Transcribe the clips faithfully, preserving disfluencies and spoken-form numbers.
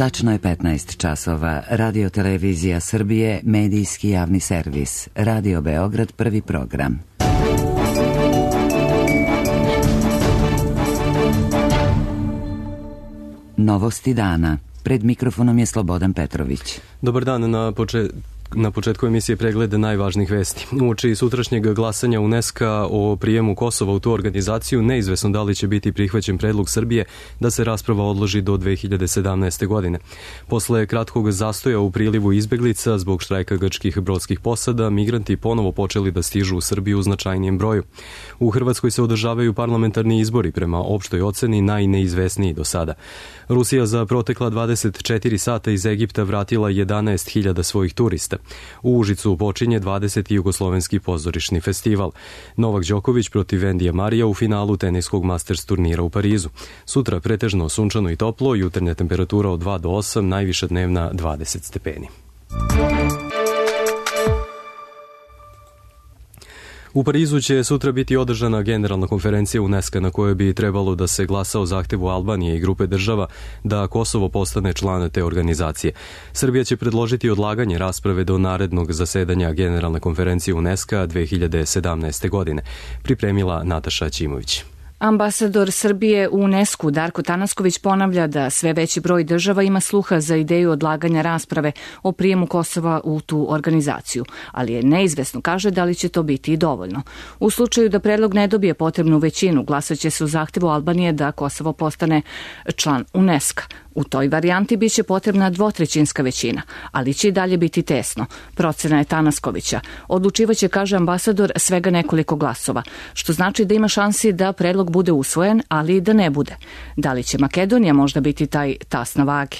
Tačno je petnaest časova. Radio Televizija Srbije, medijski javni servis. Radio Beograd, prvi program. Novosti dana. Pred mikrofonom je Slobodan Petrović. Dobar dan. Na početku Na početku emisije pregleda najvažnijih vesti. Uoči sutrašnjeg glasanja UNESCO o prijemu Kosova u tu organizaciju, neizvesno da li će biti prihvaćen predlog Srbije da se rasprava odloži do dve hiljade sedamnaeste. godine. Posle kratkog zastoja u prilivu izbeglica zbog štrajka grčkih brodskih posada, migranti ponovo počeli da stižu u Srbiju u značajnijem broju. U Hrvatskoj se održavaju parlamentarni izbori, prema opštoj oceni najneizvesniji do sada. Rusija za protekla dvadeset četiri sata iz Egipta vratila jedanaest hiljada svojih turista. U Užicu počinje dvadeseti jugoslovenski pozorišni festival. Novak Đoković protiv Vendija Marija u finalu teniskog Masters turnira u Parizu. Sutra pretežno sunčano i toplo, jutarnja temperatura od dva do osam, najviša dnevna dvadeset stepeni. U Parizu će sutra biti održana generalna konferencija UNESCO na kojoj bi trebalo da se glasa o zahtevu Albanije i grupe država da Kosovo postane član te organizacije. Srbija će predložiti odlaganje rasprave do narednog zasedanja generalne konferencije UNESCO dve hiljade sedamnaeste. godine. Pripremila Nataša Ćimović. Ambasador Srbije u UNESCO Darko Tanasković ponavlja da sve veći broj država ima sluha za ideju odlaganja rasprave o prijemu Kosova u tu organizaciju, ali je neizvesno, kaže, da li će to biti i dovoljno. U slučaju da predlog ne dobije potrebnu većinu, glasaće se u zahtevu Albanije da Kosovo postane član UNESCO. U toj varijanti biće potrebna dvotrećinska većina, ali će i dalje biti tesno. Procena je Tanaskovića. Odlučivaće, kaže ambasador, svega nekoliko glasova, što znači da ima šansi da predlog bude usvojen, ali i da ne bude. Da li će Makedonija možda biti taj tas na vagi?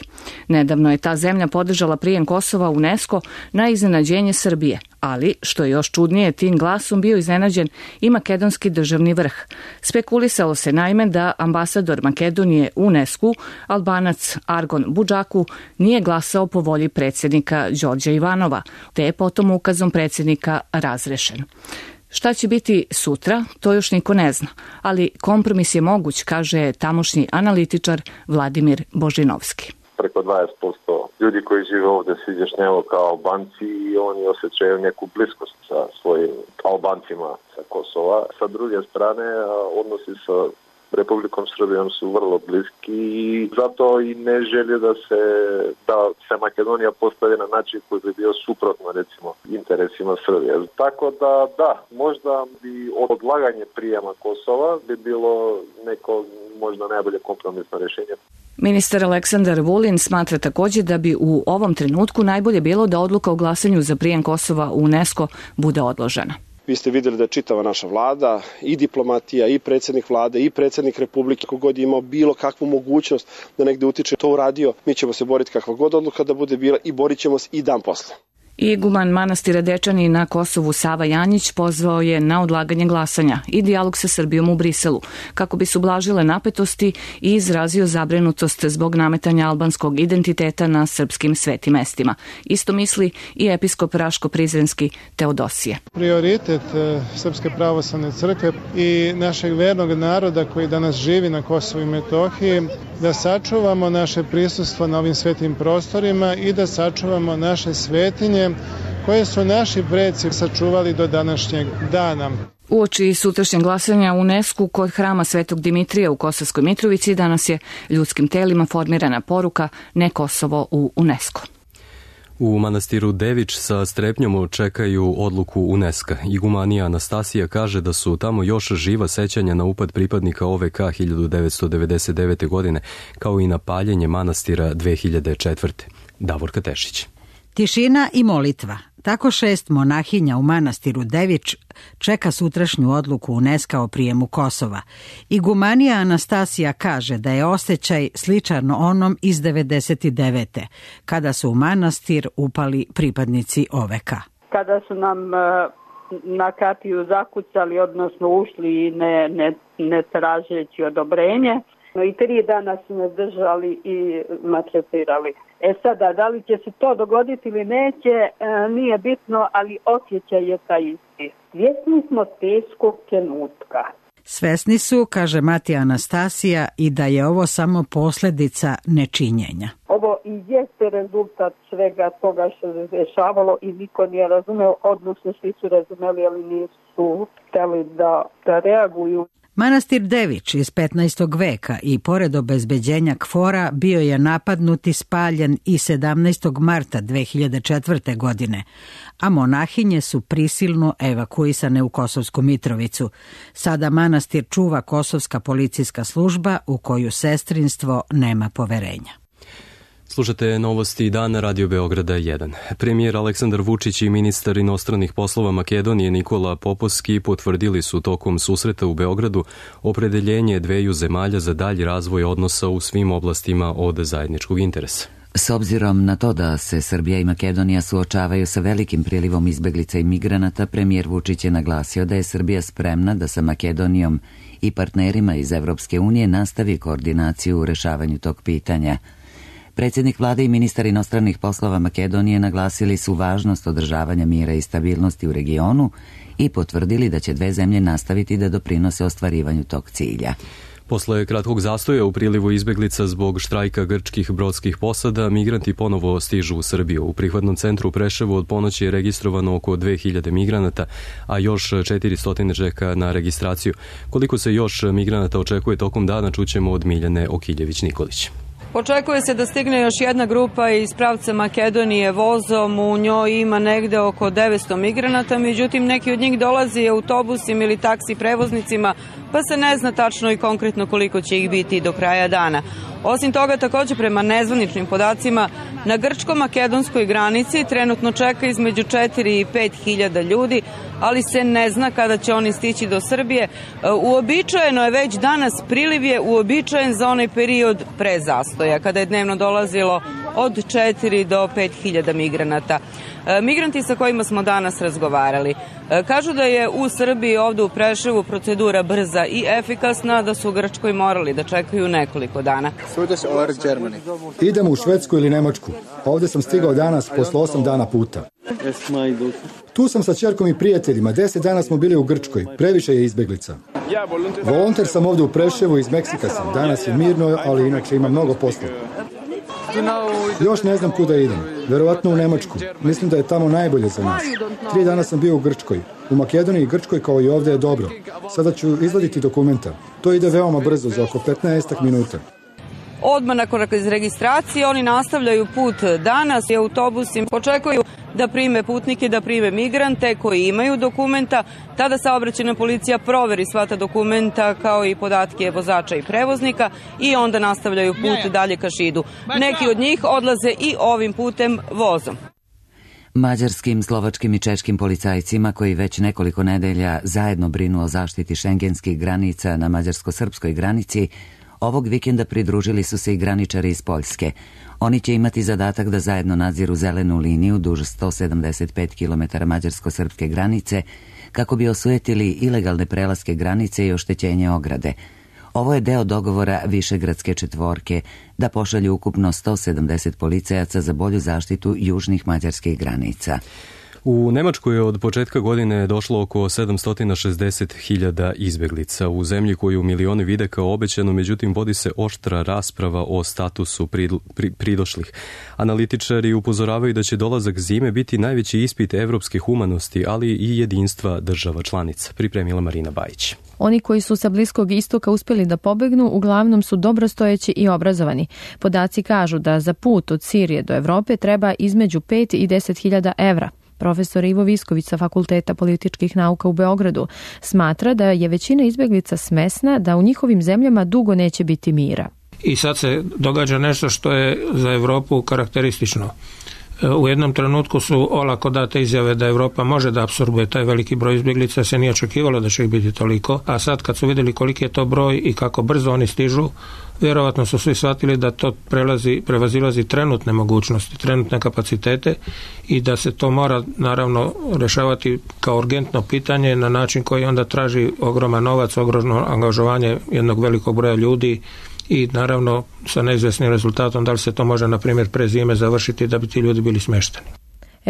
Nedavno je ta zemlja podržala prijem Kosova u UNESCO na iznenađenje Srbije, ali, što je još čudnije, tim glasom bio iznenađen i makedonski državni vrh. Spekulisalo se naime da ambasador Makedonije u UNESCO, Albanac Argon Budžaku, nije glasao po volji predsjednika Đorđa Ivanova, te je potom ukazom predsjednika razrešen. Šta će biti sutra, to još niko ne zna, ali kompromis je moguć, kaže tamošnji analitičar Vladimir Božinovski. Preko dvadeset posto ljudi koji žive ovdje se izjašnjavaju kao Albanci i oni osjećaju neku bliskost sa svojim Albancima sa Kosova. Sa druge strane, odnosi sa Republikom Srbijom su vrlo bliski i zato i ne želje da se, da se Makedonija postavi na način koji bi bio suprotno, recimo, interesima Srbije. Tako da, da, možda bi odlaganje prijema Kosova bi bilo neko možda najbolje kompromisno rješenje. Ministar Aleksandar Vulin smatra također da bi u ovom trenutku najbolje bilo da odluka o glasanju za prijem Kosova u UNESCO bude odložena. Vi ste vidjeli da je čitava naša vlada, i diplomatija, i predsjednik vlade, i predsjednik Republike, kogod je imao bilo kakvu mogućnost da negdje utiče, to uradio. Mi ćemo se boriti kakva god odluka da bude bila i borit ćemo se i dan posle. Iguman manastira Dečani na Kosovu Sava Janjić pozvao je na odlaganje glasanja i dijalog sa Srbijom u Briselu, kako bi se ublažile napetosti i izrazio zabrinutost zbog nametanja albanskog identiteta na srpskim svetim mestima. Isto misli i episkop Raško-Prizrenski Teodosije. Prioritet Srpske pravoslavne crkve i našeg vernog naroda koji danas živi na Kosovu i Metohiji, da sačuvamo naše prisustvo na ovim svetim prostorima i da sačuvamo naše svetinje koje su naši preci sačuvali do današnjeg dana. Uoči sutrašnjeg glasanja u UNESCO kod hrama Svetog Dimitrija u Kosovskoj Mitrovici danas je ljudskim telima formirana poruka Ne Kosovo u UNESCO. U manastiru Devič sa strepnjom čekaju odluku UNESCO. Igumanija Anastasija kaže da su tamo još živa sećanja na upad pripadnika O V K hiljadu devetsto devedeset devete. godine, kao i na paljenje manastira dve hiljade četvrte. Davorka Tešić. Tišina i molitva. Tako šest monahinja u manastiru Devič čeka sutrašnju odluku UNESCO o prijemu Kosova. Igumanija Anastasija kaže da je osjećaj sličan onom iz devedeset devete. kada su u manastir upali pripadnici O V K. Kada su nam na kapiju zakucali, odnosno ušli i ne, ne, ne tražeći odobrenje, i tri dana su me držali i maltretirali. E sada, da li će se to dogoditi ili neće, nije bitno, ali osjećaj je taj isti. Svjesni smo teškog trenutka. Svesni su, kaže Mati Anastasija, i da je ovo samo posljedica nečinjenja. Ovo i jeste rezultat svega toga što se dešavalo i niko nije razumeo, odnosno svi su razumeli, ali nisu hteli da, da reaguju. Manastir Dević iz petnaestog veka i pored obezbeđenja KFOR-a bio je napadnut i spaljen i sedamnaestog marta dve hiljade četvrte. godine, a monahinje su prisilno evakuisane u Kosovsku Mitrovicu. Sada manastir čuva kosovska policijska služba u koju sestrinstvo nema poverenja. Slušate novosti dana Radio Beograda jedan. Premijer Aleksandar Vučić i ministar inostranih poslova Makedonije Nikola Popovski potvrdili su tokom susreta u Beogradu opredeljenje dveju zemalja za dalji razvoj odnosa u svim oblastima od zajedničkog interesa. S obzirom na to da se Srbija i Makedonija suočavaju sa velikim prilivom izbeglica i migranata, premijer Vučić je naglasio da je Srbija spremna da sa Makedonijom i partnerima iz Evropske unije nastavi koordinaciju u rešavanju tog pitanja. Predsjednik vlade i ministar inostranih poslova Makedonije naglasili su važnost održavanja mira i stabilnosti u regionu i potvrdili da će dve zemlje nastaviti da doprinose ostvarivanju tog cilja. Posle kratkog zastoja u prilivu izbeglica zbog štrajka grčkih brodskih posada, migranti ponovo stižu u Srbiju. U prihvatnom centru u Preševu od ponoći je registrovano oko dve hiljade migranata, a još četiristo čeka na registraciju. Koliko se još migranata očekuje tokom dana, čućemo od Miljane Okiljević-Nikolić. Očekuje se da stigne još jedna grupa iz pravca Makedonije vozom, u njoj ima negde oko devetsto migranata, međutim neki od njih dolazi autobusima ili taksi prevoznicima, pa se ne zna tačno i konkretno koliko će ih biti do kraja dana. Osim toga, također prema nezvaničnim podacima, na grčko-makedonskoj granici trenutno čeka između četiri i pet hiljada ljudi, ali se ne zna kada će oni stići do Srbije. Uobičajeno je već danas, priliv je uobičajen za onaj period pre zastoja, kada je dnevno dolazilo od četiri do pet hiljada migranata. Migranti sa kojima smo danas razgovarali kažu da je u Srbiji ovdje u Preševu procedura brza i efikasna, da su u Grčkoj morali da čekaju nekoliko dana. Idemo u Švedsku ili Nemačku. Ovdje sam stigao danas posle osam dana puta. Tu sam sa ćerkom i prijateljima. Deset dana smo bili u Grčkoj. Previše je izbeglica. Volonter sam ovdje u Preševu, iz Meksika sam. Danas je mirno, ali inače ima mnogo posla. Još ne znam kuda idem. Verovatno u Nemačku. Mislim da je tamo najbolje za nas. Tri dana sam bio u Grčkoj. U Makedoniji i Grčkoj kao i ovdje je dobro. Sada ću izvaditi dokumenta. To ide veoma brzo, za oko petnaest minuta. Odmah nakon registracije oni nastavljaju put danas i autobusi očekuju da prime putnike, da prime migrante koji imaju dokumenta. Tada saobraćajna policija proveri sva ta dokumenta kao i podatke vozača i prevoznika i onda nastavljaju put dalje ka Šidu. Neki od njih odlaze i ovim putem vozom. Mađarskim, slovačkim i češkim policajcima koji već nekoliko nedelja zajedno brinu o zaštiti šengenskih granica na mađarsko-srpskoj granici, ovog vikenda pridružili su se i graničari iz Poljske. Oni će imati zadatak da zajedno nadziru zelenu liniju duž sto sedamdeset pet kilometara mađarsko-srpske granice kako bi osujetili ilegalne prelaske granice i oštećenje ograde. Ovo je deo dogovora Višegradske četvorke da pošalju ukupno sto sedamdeset policajaca za bolju zaštitu južnih mađarskih granica. U Nemačkoj je od početka godine došlo oko sedamsto šezdeset hiljada izbeglica u zemlji koju milioni vide kao obećano, međutim vodi se oštra rasprava o statusu pridošlih. Analitičari upozoravaju da će dolazak zime biti najveći ispit evropske humanosti, ali i jedinstva država članica. Pripremila Marina Bajić. Oni koji su sa Bliskog istoka uspjeli da pobegnu uglavnom su dobrostojeći i obrazovani. Podaci kažu da za put od Sirije do Evrope treba između pet i deset hiljada evra. Profesor Ivo Visković sa Fakulteta političkih nauka u Beogradu smatra da je većina izbjeglica svesna da u njihovim zemljama dugo neće biti mira. I sad se događa nešto što je za Evropu karakteristično. U jednom trenutku su olako date izjave da Evropa može da apsorbuje taj veliki broj izbjeglica, se nije očekivalo da će ih biti toliko, a sad kad su vidjeli koliki je to broj i kako brzo oni stižu, vjerovatno su svi shvatili da to prelazi, prevazilazi trenutne mogućnosti, trenutne kapacitete i da se to mora naravno rešavati kao urgentno pitanje na način koji onda traži ogroman novac, ogromno angažovanje jednog velikog broja ljudi i naravno sa neizvjesnim rezultatom da li se to može na primjer pre zime završiti da bi ti ljudi bili smješteni.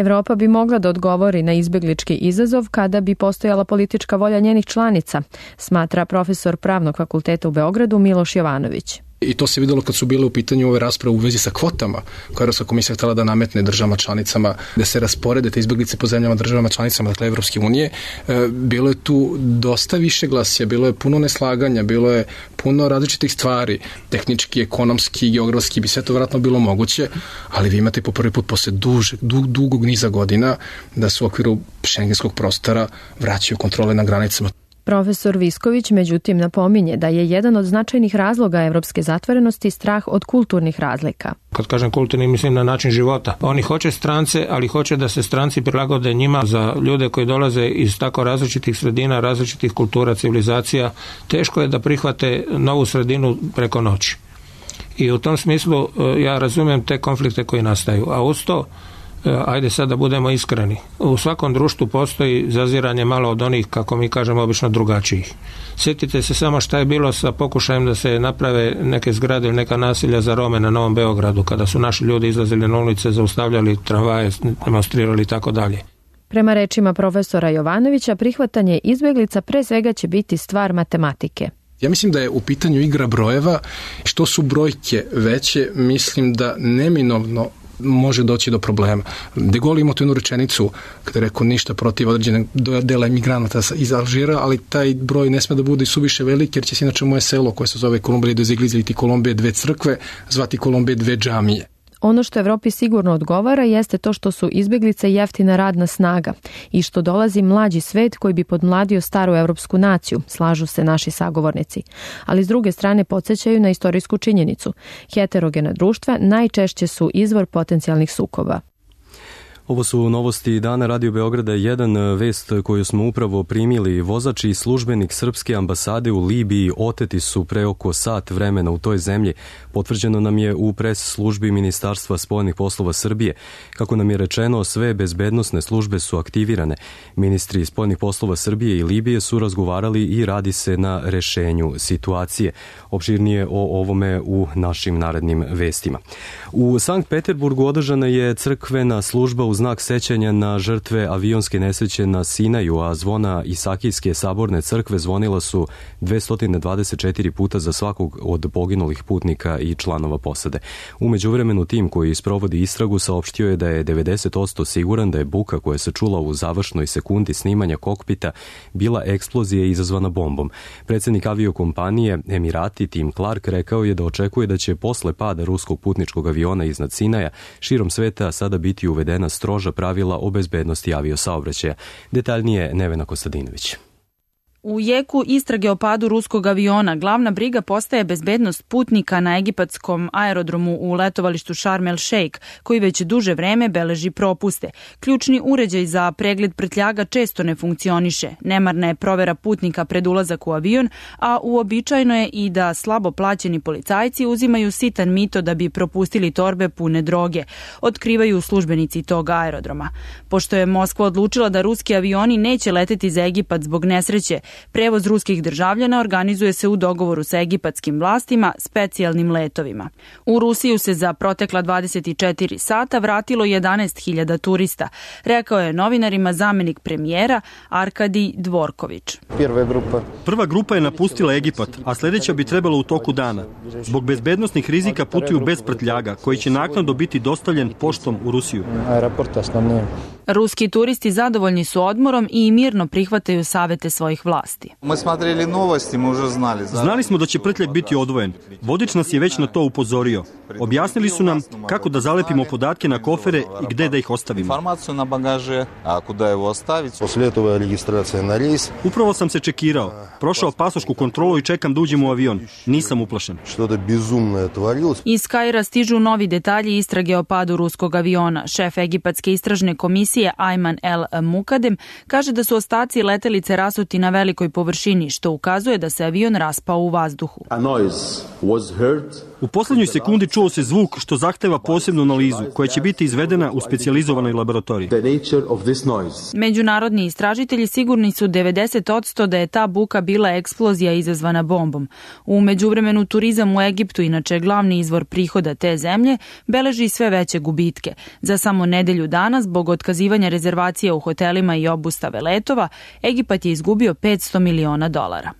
Evropa bi mogla da odgovori na izbeglički izazov kada bi postojala politička volja njenih članica, smatra profesor Pravnog fakulteta u Beogradu Miloš Jovanović. I to se videlo kad su bile u pitanju ove rasprave u vezi sa kvotama koje Evropska komisija htjela da nametne državama članicama, da se rasporede te izbeglice po zemljama državama članicama, dakle Evropske unije. E, bilo je tu dosta više glasija, bilo je puno neslaganja, bilo je puno različitih stvari, tehnički, ekonomski, geografski, bi sve to vjerojatno bilo moguće, ali vi imate po prvi put posle duže, dug, dugog niza godina da se u okviru šengenskog prostora vraćaju kontrole na granicama. Profesor Visković međutim napominje da je jedan od značajnih razloga evropske zatvorenosti strah od kulturnih razlika. Kad kažem kulturni, mislim na način života. Oni hoće strance, ali hoće da se stranci prilagode njima. Za ljude koji dolaze iz tako različitih sredina, različitih kultura, civilizacija, teško je da prihvate novu sredinu preko noći. I u tom smislu ja razumijem te konflikte koji nastaju. A uz to, ajde sad da budemo iskreni, u svakom društvu postoji zaziranje malo od onih, kako mi kažemo, obično drugačijih. Sjetite se samo šta je bilo sa pokušajem da se naprave neke zgrade ili neka nasilja za Rome na Novom Beogradu, kada su naši ljudi izlazili na ulice, zaustavljali tramvaje, demonstrirali i tako dalje. Prema rečima profesora Jovanovića, prihvatanje izbeglica pre svega će biti stvar matematike. Ja mislim da je u pitanju igra brojeva. Što su brojke veće, mislim da neminovno može doći do problema. De Gaulle ima tu jednu rečenicu kada je rekao ništa protiv određenog dela emigranata iz Alžira, ali taj broj ne sme da bude suviše veliki, jer će se inače moje selo koje se zove Kolumbije do Zigliza ili Kolumbije dve crkve zvati Kolumbije dve džamije. Ono što Evropi sigurno odgovara jeste to što su izbeglice jeftina radna snaga i što dolazi mlađi svet koji bi podmladio staru evropsku naciju, slažu se naši sagovornici. Ali s druge strane podsjećaju na istorijsku činjenicu. Heterogena društva najčešće su izvor potencijalnih sukoba. Ovo su novosti dana Radio Beograda jedan, vest koju smo upravo primili. Vozač i službenik srpske ambasade u Libiji oteti su pre oko sat vremena u toj zemlji. Potvrđeno nam je u pres službi Ministarstva spoljnih poslova Srbije. Kako nam je rečeno, sve bezbednosne službe su aktivirane. Ministri spoljnih poslova Srbije i Libije su razgovarali i radi se na rešenju situacije. Opširnije o ovome u našim narednim vestima. U Sankt Peterburgu održana je crkvena služba u znak sećanja na žrtve avionske nesreće na Sinaju, a zvona Isakijske saborne crkve zvonila su dvesta dvadeset četiri puta za svakog od poginulih putnika i članova posade. U međuvremenu tim koji sprovodi istragu saopštio je da je devedeset posto siguran da je buka koja se čula u završnoj sekundi snimanja kokpita bila eksplozija izazvana bombom. Predsjednik aviokompanije Emirati Tim Clark rekao je da očekuje da će posle pada ruskog putničkog aviona iznad Sinaja širom sveta sada biti uvedena stroža pravila o bezbednosti aviosaobraćaja. Detaljnije Nevena Kostadinović. U jeku istrage o padu ruskog aviona glavna briga postaje bezbednost putnika na egipatskom aerodromu u letovalištu Sharm el Sheikh, koji već duže vreme beleži propuste. Ključni uređaj za pregled prtljaga često ne funkcioniše. Nemarna je provera putnika pred ulazak u avion, a uobičajeno je i da slabo plaćeni policajci uzimaju sitan mito da bi propustili torbe pune droge, otkrivaju službenici tog aerodroma. Pošto je Moskva odlučila da ruski avioni neće leteti za Egipat zbog nesreće, prevoz ruskih državljana organizuje se u dogovoru sa egipatskim vlastima specijalnim letovima. U Rusiju se za protekla dvadeset četiri sata vratilo jedanaest hiljada turista, rekao je novinarima zamenik premijera Arkadij Dvorković. Prva grupa je napustila Egipat, a sljedeća bi trebala u toku dana. Zbog bezbednosnih rizika putuju bez prtljaga, koji će naknadno biti dostavljen poštom u Rusiju. Ruski turisti zadovoljni su odmorom i mirno prihvataju savete svojih vlasti. Znali smo da će prtljag biti odvojen. Vodič nas je već na to upozorio. Objasnili su nam kako da zalepimo podatke na kofere i gde da ih ostavimo. Upravo sam se čekirao. Prošao pasošku kontrolu i čekam da uđem u avion. Nisam uplašen. Iz Kaira stižu novi detalji istrage o padu ruskog aviona. Šef egipatske istražne komisije komisije Ayman El Mukadem kaže da su ostaci letelice rasuti na velikoj površini, što ukazuje da se avion raspao u vazduhu. U poslednjoj sekundi čuo se zvuk što zahteva posebnu analizu koja će biti izvedena u specijalizovanoj laboratoriji. Međunarodni istražitelji sigurni su devedeset posto da je ta buka bila eksplozija izazvana bombom. U međuvremenu turizam u Egiptu, inače glavni izvor prihoda te zemlje, beleži sve veće gubitke. Za samo nedelju dana, zbog otkazivanja rezervacija u hotelima i obustave letova, Egipat je izgubio petsto miliona dolara.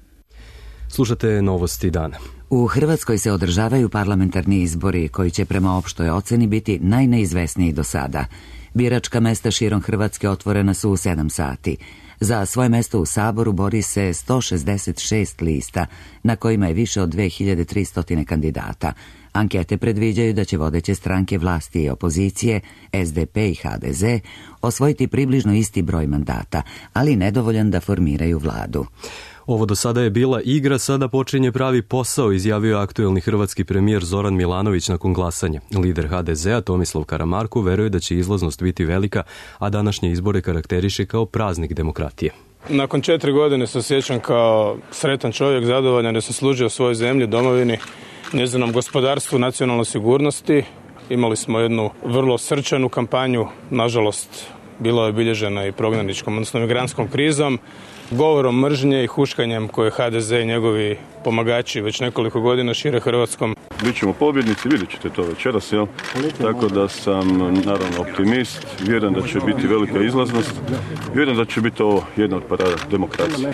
Slušate novosti dana. U Hrvatskoj se održavaju parlamentarni izbori koji će prema opštoj oceni biti najneizvesniji do sada. Biračka mesta širom Hrvatske otvorena su u sedam sati. Za svoje mesto u Saboru bori se sto šezdeset šest lista, na kojima je više od dve hiljade tristo kandidata. Ankete predviđaju da će vodeće stranke vlasti i opozicije, S D P i H D Z, osvojiti približno isti broj mandata, ali nedovoljan da formiraju vladu. Ovo do sada je bila igra, sada počinje pravi posao, izjavio aktuelni hrvatski premijer Zoran Milanović nakon glasanja. Lider H D Z-a Tomislav Karamarko veruje da će izlaznost biti velika, a današnje izbore karakteriše kao praznik demokratije. Nakon četiri godine se osjećam kao sretan čovjek, zadovoljan da sam služio svojoj zemlji, domovini, njezinom gospodarstvu, nacionalnoj sigurnosti. Imali smo jednu vrlo srčanu kampanju, nažalost bila je obilježena i prognaničkom, odnosno migrantskom krizom, govorom mržnje i huškanjem koje H D Z i njegovi pomagači već nekoliko godina šire Hrvatskom. Bićemo pobjednici, vidjet ćete to večeras, jel? Tako da sam naravno optimist, vjerujem da će biti velika izlaznost, vjerujem da će biti ovo jedna od parada demokracije.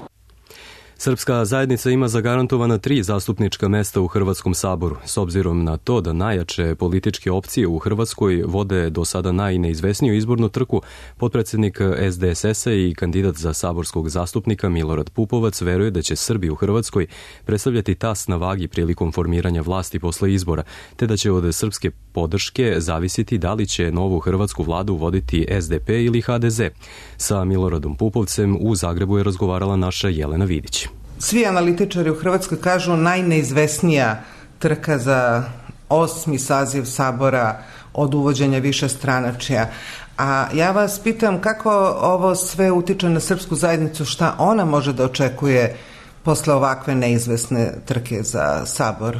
Srpska zajednica ima zagarantovana tri zastupnička mesta u Hrvatskom saboru. S obzirom na to da najjače političke opcije u Hrvatskoj vode do sada najneizvesniju izbornu trku, potpredsjednik S D S S-a i kandidat za saborskog zastupnika Milorad Pupovac veruje da će Srbi u Hrvatskoj predstavljati tas na vagi prilikom formiranja vlasti posle izbora, te da će od srpske podrške zavisiti da li će novu hrvatsku vladu voditi S D P ili H D Z. Sa Miloradom Pupovcem u Zagrebu je razgovarala naša Jelena Vidić. Svi analitičari u Hrvatskoj kažu najneizvesnija trka za osmi saziv sabora od uvođenja višestranačja. A ja vas pitam kako ovo sve utiče na srpsku zajednicu, šta ona može da očekuje posle ovakve neizvesne trke za sabor?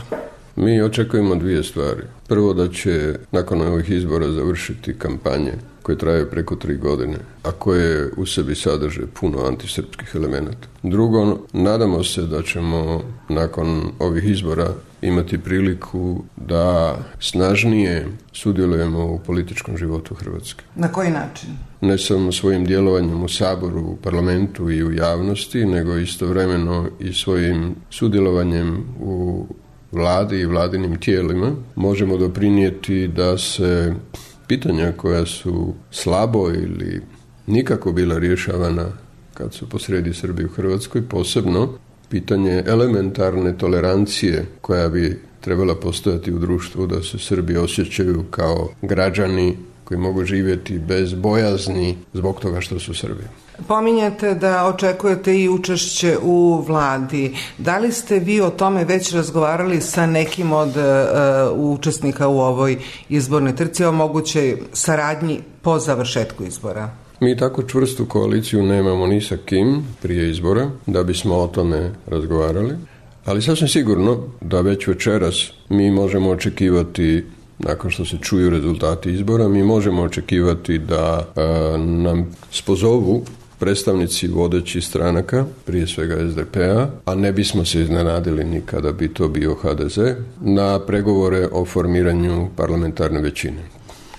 Mi očekujemo dvije stvari. Prvo, da će nakon ovih izbora završiti kampanje koje traju preko tri godine, a koje u sebi sadrže puno antisrpskih elemenata. Drugo, nadamo se da ćemo nakon ovih izbora imati priliku da snažnije sudjelujemo u političkom životu Hrvatske. Na koji način? Ne samo svojim djelovanjem u Saboru, u parlamentu i u javnosti, nego istovremeno i svojim sudjelovanjem u vladi i vladinim tijelima možemo doprinijeti da se pitanja koja su slabo ili nikako bila rješavana kad su posrijedi Srbi u Hrvatskoj, posebno pitanje elementarne tolerancije koja bi trebala postojati u društvu, da se Srbi osjećaju kao građani koji mogu živjeti bez bojazni zbog toga što su Srbi. Pominjete da očekujete i učešće u vladi. Da li ste vi o tome već razgovarali sa nekim od uh, učesnika u ovoj izbornoj trci o mogućoj saradnji po završetku izbora? Mi tako čvrstu koaliciju nemamo ni sa kim prije izbora da bismo o tome razgovarali, ali sasvim sigurno da već večeras mi možemo očekivati, nakon što se čuju rezultati izbora, mi možemo očekivati da a, nam spozovu predstavnici vodećih stranaka, prije svega S D P-a, a ne bismo se iznenadili ni kada bi to bio H D Z, na pregovore o formiranju parlamentarne većine.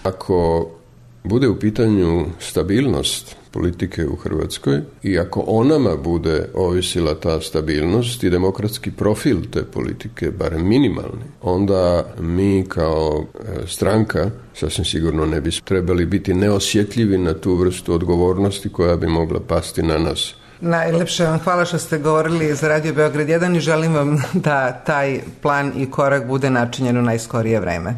Ako bude u pitanju stabilnost politike u Hrvatskoj i ako o nama bude ovisila ta stabilnost i demokratski profil te politike, barem minimalni, onda mi kao stranka sasvim sigurno ne bi trebali biti neosjetljivi na tu vrstu odgovornosti koja bi mogla pasti na nas. Najlepše vam hvala što ste govorili za Radio Beograd jedan i želim vam da taj plan i korak bude načinjen u najskorije vreme.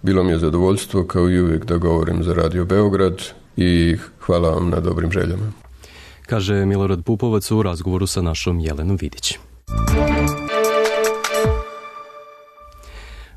Bilo mi je zadovoljstvo kao i uvijek da govorim za Radio Beograd i hvala vam na dobrim željama. Kaže Milorad Pupovac u razgovoru sa našom Jelenom Vidić.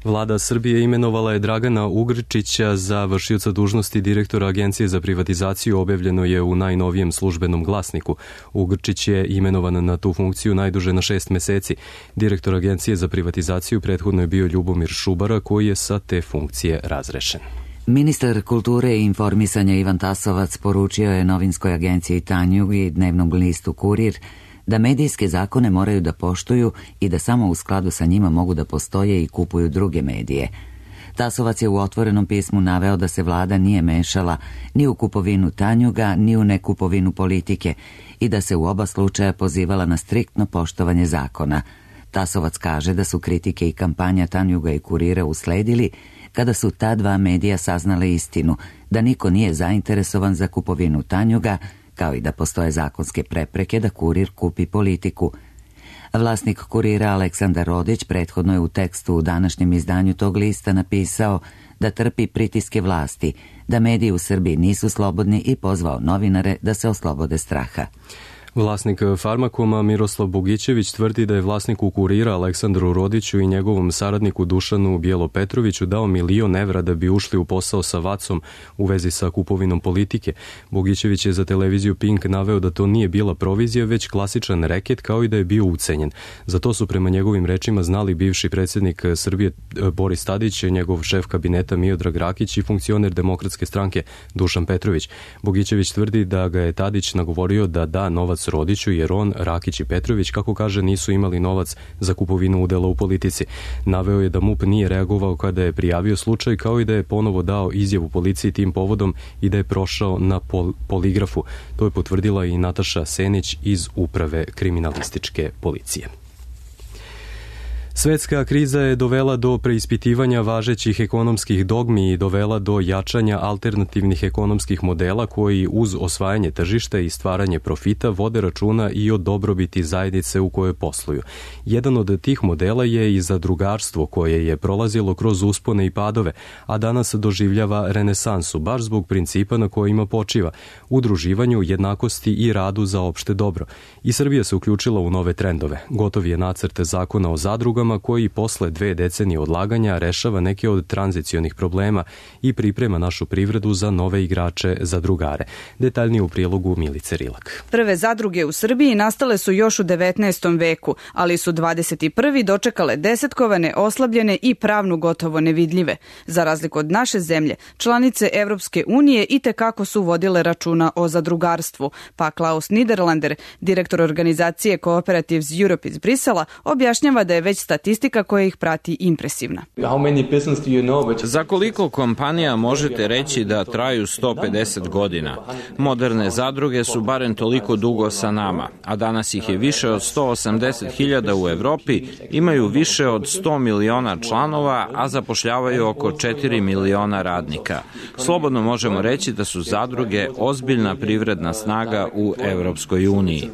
Vlada Srbije imenovala je Dragana Ugrčića za vršioca dužnosti direktora Agencije za privatizaciju, objavljeno je u najnovijem službenom glasniku. Ugrčić je imenovan na tu funkciju najduže na šest meseci. Direktor Agencije za privatizaciju prethodno je bio Ljubomir Šubara, koji je sa te funkcije razrešen. Ministar kulture i informisanja Ivan Tasovac poručio je novinskoj agenciji Tanjug i dnevnom listu Kurir da medijske zakone moraju da poštuju i da samo u skladu sa njima mogu da postoje i kupuju druge medije. Tasovac je u otvorenom pismu naveo da se vlada nije mešala ni u kupovinu Tanjuga, ni u nekupovinu politike i da se u oba slučaja pozivala na striktno poštovanje zakona. Tasovac kaže da su kritike i kampanja Tanjuga i Kurira usledili kada su ta dva medija saznale istinu, da niko nije zainteresovan za kupovinu Tanjuga, kao i da postoje zakonske prepreke da Kurir kupi politiku. Vlasnik Kurira Aleksandar Rodić prethodno je u tekstu u današnjem izdanju tog lista napisao da trpi pritiske vlasti, da mediji u Srbiji nisu slobodni i pozvao novinare da se oslobode straha. Vlasnik Farmakoma Miroslav Bogićević tvrdi da je vlasniku Kurira Aleksandru Rodiću i njegovom saradniku Dušanu Bjelopetroviću dao milion evra da bi ušli u posao sa Vacom u vezi sa kupovinom politike. Bogićević je za televiziju Pink naveo da to nije bila provizija, već klasičan reket, kao i da je bio ucenjen. Za to su prema njegovim rečima znali bivši predsjednik Srbije Boris Tadić, njegov šef kabineta Miodrag Rakić i funkcioner Demokratske stranke Dušan Petrović. Bogićević tvrdi da ga je Tadić nagovorio da da novac Rodiću, jer on, Rakić i Petrović, kako kaže, nisu imali novac za kupovinu udela u politici. Naveo je da MUP nije reagovao kada je prijavio slučaj, kao i da je ponovo dao izjavu policiji tim povodom i da je prošao na pol poligrafu. To je potvrdila i Nataša Senić iz Uprave kriminalističke policije. Svetska kriza je dovela do preispitivanja važećih ekonomskih dogmi i dovela do jačanja alternativnih ekonomskih modela koji uz osvajanje tržišta i stvaranje profita vode računa i o dobrobiti zajednice u kojoj posluju. Jedan od tih modela je i zadrugarstvo, koje je prolazilo kroz uspone i padove, a danas doživljava renesansu, baš zbog principa na kojima počiva, udruživanju, jednakosti i radu za opšte dobro. I Srbija se uključila u nove trendove. Gotov je nacrt zakona o zadrugama koji posle dve decenije odlaganja rešava neke od tranzicionih problema i priprema našu privredu za nove igrače zadrugare. Detaljnije u prilogu Milice Rilak. Prve zadruge u Srbiji nastale su još u devetnaestom veku, ali su dvadeset prvi dočekale desetkovane, oslabljene i pravno gotovo nevidljive. Za razliku od naše zemlje, članice Evropske unije i tekako su vodile računa o zadrugarstvu, pa Klaus Niederlander, direktor organizacije Cooperatives Europe iz Brisela, objašnjava da je već statistika koja ih prati impresivna. Za koliko kompanija možete reći da traju sto pedeset godina? Moderne zadruge su barem toliko dugo sa nama, a danas ih je više od sto osamdeset hiljada u Evropi, imaju više od sto miliona članova, a zapošljavaju oko četiri miliona radnika. Slobodno možemo reći da su zadruge ozbiljna privredna snaga u Evropskoj uniji.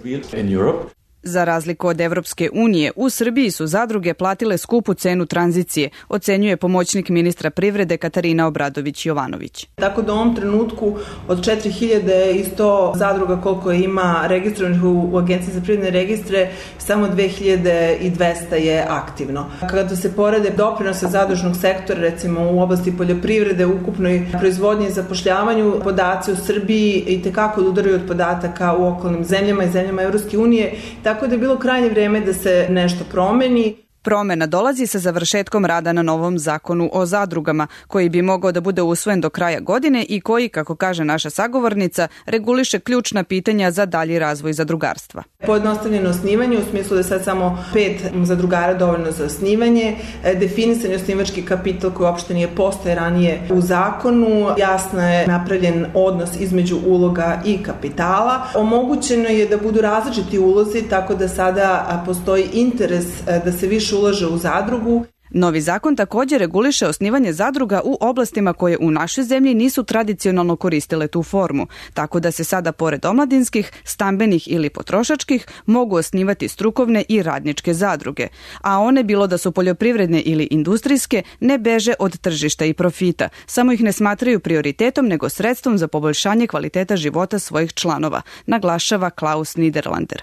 Za razliku od Evropske unije, u Srbiji su zadruge platile skupu cenu tranzicije, ocenjuje pomoćnik ministra privrede Katarina Obradović-Jovanović. Tako da u ovom trenutku od četiri hiljade i sto zadruga koliko ima registrovanih u Agenciji za privredne registre, samo dve hiljade dvesta je aktivno. Kada se porede doprinose zadružnog sektora, recimo u oblasti poljoprivrede, ukupnoj proizvodnji i zapošljavanju, podaci u Srbiji i tekako udaraju od podataka u okolnim zemljama i zemljama Evropske unije, tako da je bilo krajnje vreme da se nešto promeni. Promena dolazi sa završetkom rada na novom zakonu o zadrugama, koji bi mogao da bude usvojen do kraja godine i koji, kako kaže naša sagovornica, reguliše ključna pitanja za dalji razvoj zadrugarstva. Pojednostavljeno osnivanje, u smislu da je sad samo pet zadrugara dovoljno za osnivanje, definisan osnivački kapital koji uopšte nije postoje ranije u zakonu, jasno je napravljen odnos između uloga i kapitala. Omogućeno je da budu različiti ulozi, tako da sada postoji interes da se više ulaže u zadrugu. Novi zakon također reguliše osnivanje zadruga u oblastima koje u našoj zemlji nisu tradicionalno koristile tu formu, tako da se sada pored omladinskih, stambenih ili potrošačkih mogu osnivati strukovne i radničke zadruge, a one, bilo da su poljoprivredne ili industrijske, ne beže od tržišta i profita, samo ih ne smatraju prioritetom nego sredstvom za poboljšanje kvaliteta života svojih članova, naglašava Klaus Niederlander.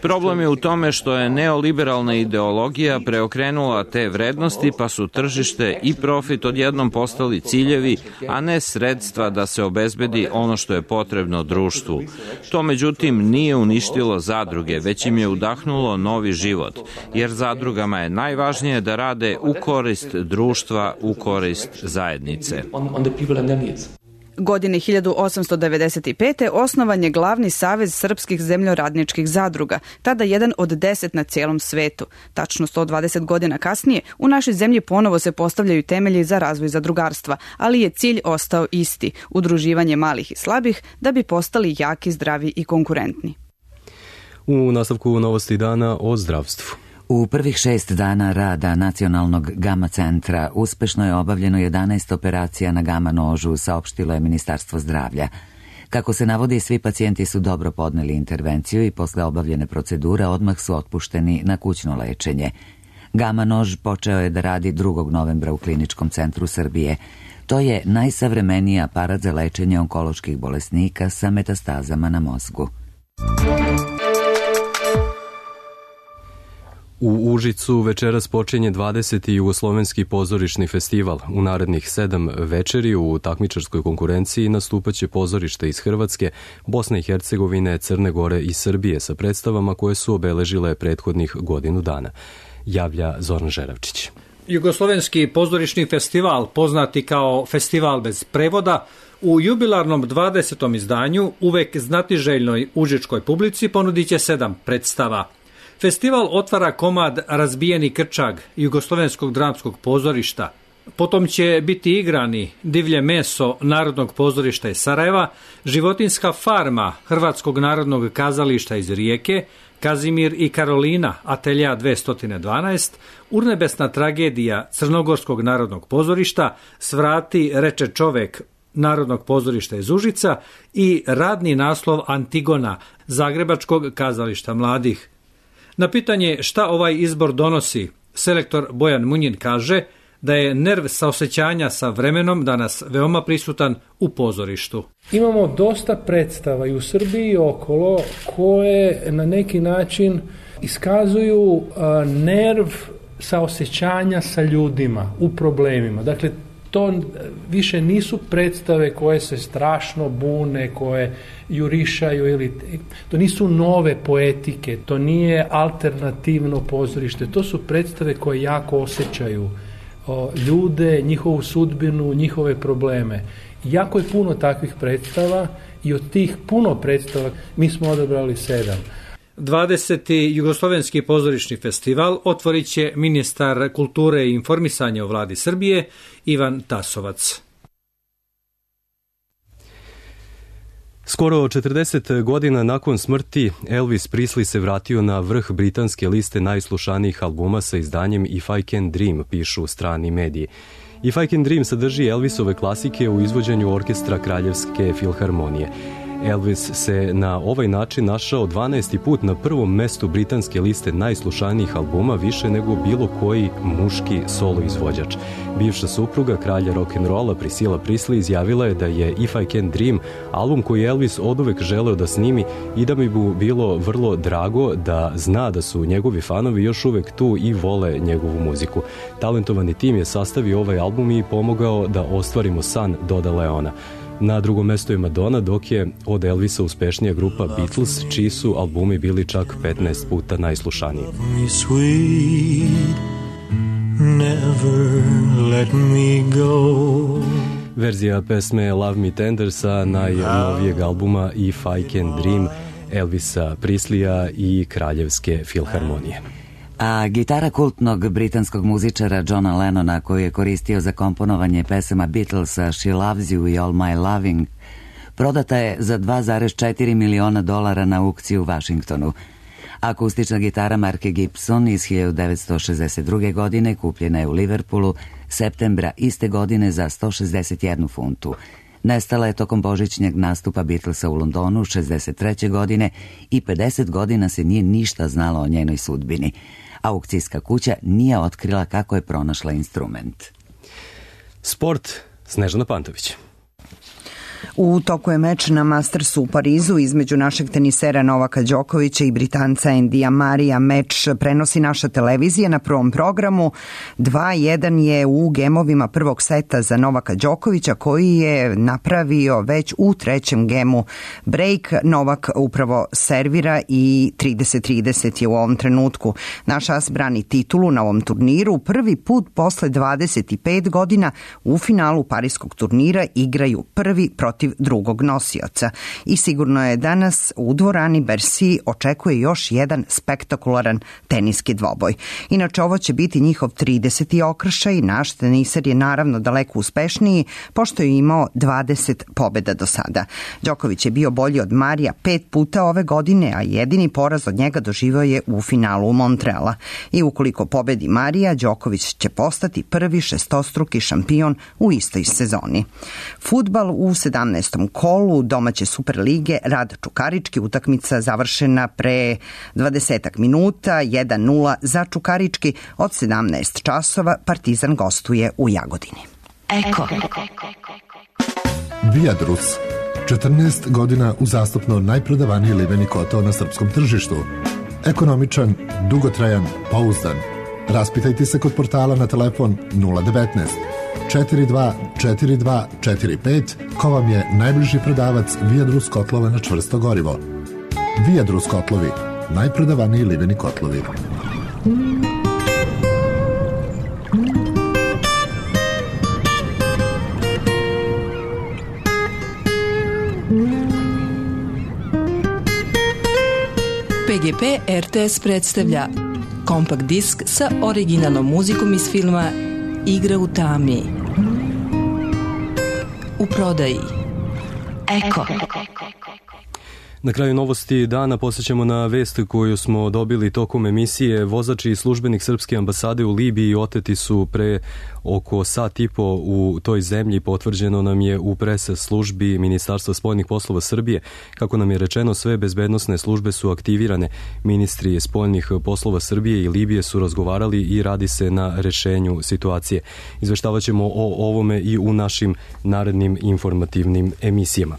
Problem je u tome što je neoliberalna ideologija pre preokrenula te vrednosti, pa su tržište i profit odjednom postali ciljevi, a ne sredstva da se obezbedi ono što je potrebno društvu. To međutim nije uništilo zadruge, već im je udahnulo novi život, jer zadrugama je najvažnije da rade u korist društva, u korist zajednice. Godine hiljadu osamsto devedeset pete. osnovan je glavni savez srpskih zemljoradničkih zadruga, tada jedan od deset na cijelom svetu. Tačno sto dvadeset godina kasnije, u našoj zemlji ponovo se postavljaju temelji za razvoj zadrugarstva, ali je cilj ostao isti, udruživanje malih i slabih da bi postali jaki, zdravi i konkurentni. U nastavku novosti dana o zdravstvu. U prvih šest dana rada Nacionalnog gama centra uspešno je obavljeno jedanaest operacija na gama nožu, saopštilo je Ministarstvo zdravlja. Kako se navodi, svi pacijenti su dobro podneli intervenciju i posle obavljene procedure odmah su otpušteni na kućno lečenje. Gama nož počeo je da radi drugog novembra u Kliničkom centru Srbije. To je najsavremeniji aparat za lečenje onkoloških bolesnika sa metastazama na mozgu. U Užicu večeras počinje dvadeseti Jugoslovenski pozorišni festival. U narednih sedam večeri u takmičarskoj konkurenciji nastupaće pozorište iz Hrvatske, Bosne i Hercegovine, Crne Gore i Srbije sa predstavama koje su obeležile prethodnih godinu dana. Javlja Zoran Žeravčić. Jugoslovenski pozorišni festival, poznati kao Festival bez prevoda, u jubilarnom dvadesetom izdanju uvek znatiželjnoj užičkoj publici ponudit će sedam predstava. Festival otvara komad Razbijeni krčag Jugoslovenskog dramskog pozorišta. Potom će biti igrani Divlje meso Narodnog pozorišta iz Sarajeva, Životinska farma Hrvatskog narodnog kazališta iz Rijeke, Kazimir i Karolina Atelja dvesta dvanaest, Urnebesna tragedija Crnogorskog narodnog pozorišta, Svrati reče čovek Narodnog pozorišta iz Užica i radni naslov Antigona Zagrebačkog kazališta mladih. Na pitanje šta ovaj izbor donosi, selektor Bojan Munjin kaže da je nerv saosećanja sa vremenom danas veoma prisutan u pozorištu. Imamo dosta predstava i u Srbiji i okolo koje na neki način iskazuju a, nerv saosećanja sa ljudima u problemima. Dakle, to više nisu predstave koje se strašno bune, koje jurišaju, ili to nisu nove poetike, to nije alternativno pozorište, to su predstave koje jako osjećaju o, ljude, njihovu sudbinu, njihove probleme. Jako je puno takvih predstava i od tih puno predstava mi smo odabrali sedam. dvadeseti Jugoslovenski pozorišni festival otvorit će ministar kulture i informisanja u vladi Srbije Ivan Tasovac. Skoro četrdeset godina nakon smrti Elvis Presley se vratio na vrh britanske liste najslušanijih albuma sa izdanjem If I Can Dream, pišu strani mediji. If I Can Dream sadrži Elvisove klasike u izvođenju orkestra Kraljevske filharmonije. Elvis se na ovaj način našao dvanaesti put na prvom mestu britanske liste najslušanijih albuma, više nego bilo koji muški solo izvođač. Bivša supruga kralja rock'n'rolla Priscilla Presley izjavila je da je If I Can Dream album koji Elvis oduvek želeo da snimi i da mi bi bilo vrlo drago da zna da su njegovi fanovi još uvek tu i vole njegovu muziku. Talentovani tim je sastavio ovaj album i pomogao da ostvarimo san, dodala je ona. Na drugom mestu je Madonna, dok je od Elvisa uspešnija grupa Beatles, čiji su albumi bili čak petnaest puta najslušaniji. Verzija pesme Love Me Tender sa najnovijeg albuma If I Can Dream Elvisa Presleya i Kraljevske filharmonije. A gitara kultnog britanskog muzičara Johna Lennona, koju je koristio za komponovanje pesama Beatlesa She Loves You i All My Loving, prodata je za dva zarez četiri miliona dolara na aukciji u Vašingtonu. Akustična gitara marke Gibson iz hiljadu devetsto šezdeset druge. godine kupljena je u Liverpoolu septembra iste godine za sto šezdeset jednu funtu. Nestala je tokom božićnjeg nastupa Beatlesa u Londonu šezdeset treće. godine i pedeset godina se nije ništa znalo o njenoj sudbini. Aukcijska kuća nije otkrila kako je pronašla instrument. Sport, Snežana Pantović. U toku je meč na Mastersu u Parizu između našeg tenisera Novaka Đokovića i Britanca Endija Marija. Meč prenosi naša televizija na prvom programu. dva jedan je u gemovima prvog seta za Novaka Đokovića, koji je napravio već u trećem gemu break. Novak upravo servira i trideset trideset je u ovom trenutku. Naš as brani titulu na ovom turniru. Prvi put posle dvadeset pet godina u finalu parijskog turnira igraju prvi protiv drugog nosioca. I sigurno je danas u dvorani Bercy očekuje još jedan spektakularan teniski dvoboj. Inače, ovo će biti njihov trideseti okršaj. Naš teniser je naravno daleko uspešniji, pošto je imao dvadeset pobjeda do sada. Đoković je bio bolji od Marija pet puta ove godine, a jedini poraz od njega doživio je u finalu u Montreala. I ukoliko pobedi Marija, Đoković će postati prvi šestostruki šampion u istoj sezoni. Fudbal u sedamnaestom kolu domaće Superlige Rad Čukarički, utakmica završena pre dvadesetak minuta, jedan nula za Čukarički. Od sedamnaest časova Partizan gostuje u Jagodini. Eko. Viadrus. četrnaest godina uzastopno najprodavaniji liveni kotao na srpskom tržištu. Ekonomičan, dugotrajan, pouzdan. Raspitajte se kod portala na telefon nula devet četiri dva četiri dva četiri pet, ko vam je najbliži prodavac Viadrus kotlova na čvrsto gorivo. Viadrus kotlovi, najprodavaniji liveni kotlovi. P G P R T S predstavlja kompakt disk sa originalnom muzikom iz filma Igra u tami. U prodaji. Eko. Na kraju novosti dana posjećamo na vest koju smo dobili tokom emisije. Vozač i službenik srpske ambasade u Libiji oteti su pre oko sat i po u toj zemlji. Potvrđeno nam je u pres službi Ministarstva spoljnih poslova Srbije. Kako nam je rečeno, sve bezbednosne službe su aktivirane. Ministri spoljnih poslova Srbije i Libije su razgovarali i radi se na rešenju situacije. Izveštavat ćemo o ovome i u našim narednim informativnim emisijama.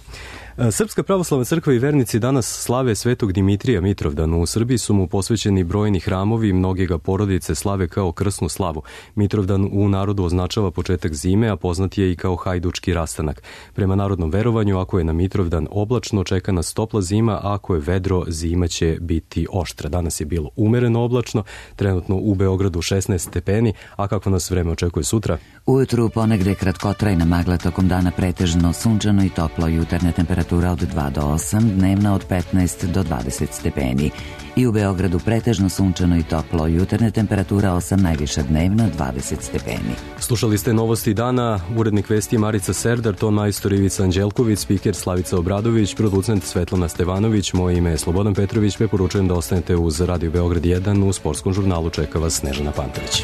Srpska pravoslavna crkva i vernici danas slave Svetog Dimitrija Mitrovdan. U Srbiji su mu posvećeni brojni hramovi i mnoge ga porodice slave kao krsnu slavu. Mitrovdan u narodu označava početak zime, a poznat je i kao hajdučki rastanak. Prema narodnom verovanju, ako je na Mitrovdan oblačno, čeka nas topla zima, a ako je vedro, zima će biti oštra. Danas je bilo umereno oblačno, trenutno u Beogradu šesnaest stepeni, a kako nas vreme očekuje sutra? Ujutru ponegde kratkotrajna magla, tokom dana pretežno sunčano i toplo, jutarnja temperatura od dva do osam, dnevna od petnaest do dvadeset stepeni. I u Beogradu pretežno sunčano i toplo, jutarnja temperatura osam, najviša dnevna dvadeset stepeni. Slušali ste novosti dana, urednik vesti Marica Serdar, ton majstor Ivica Anđelković, spiker Slavica Obradović, producent Svetlana Stevanović, moje ime je Slobodan Petrović, preporučujem da ostanete uz Radio Beograd jedan, u sportskom žurnalu čeka vas Snežana Pantović.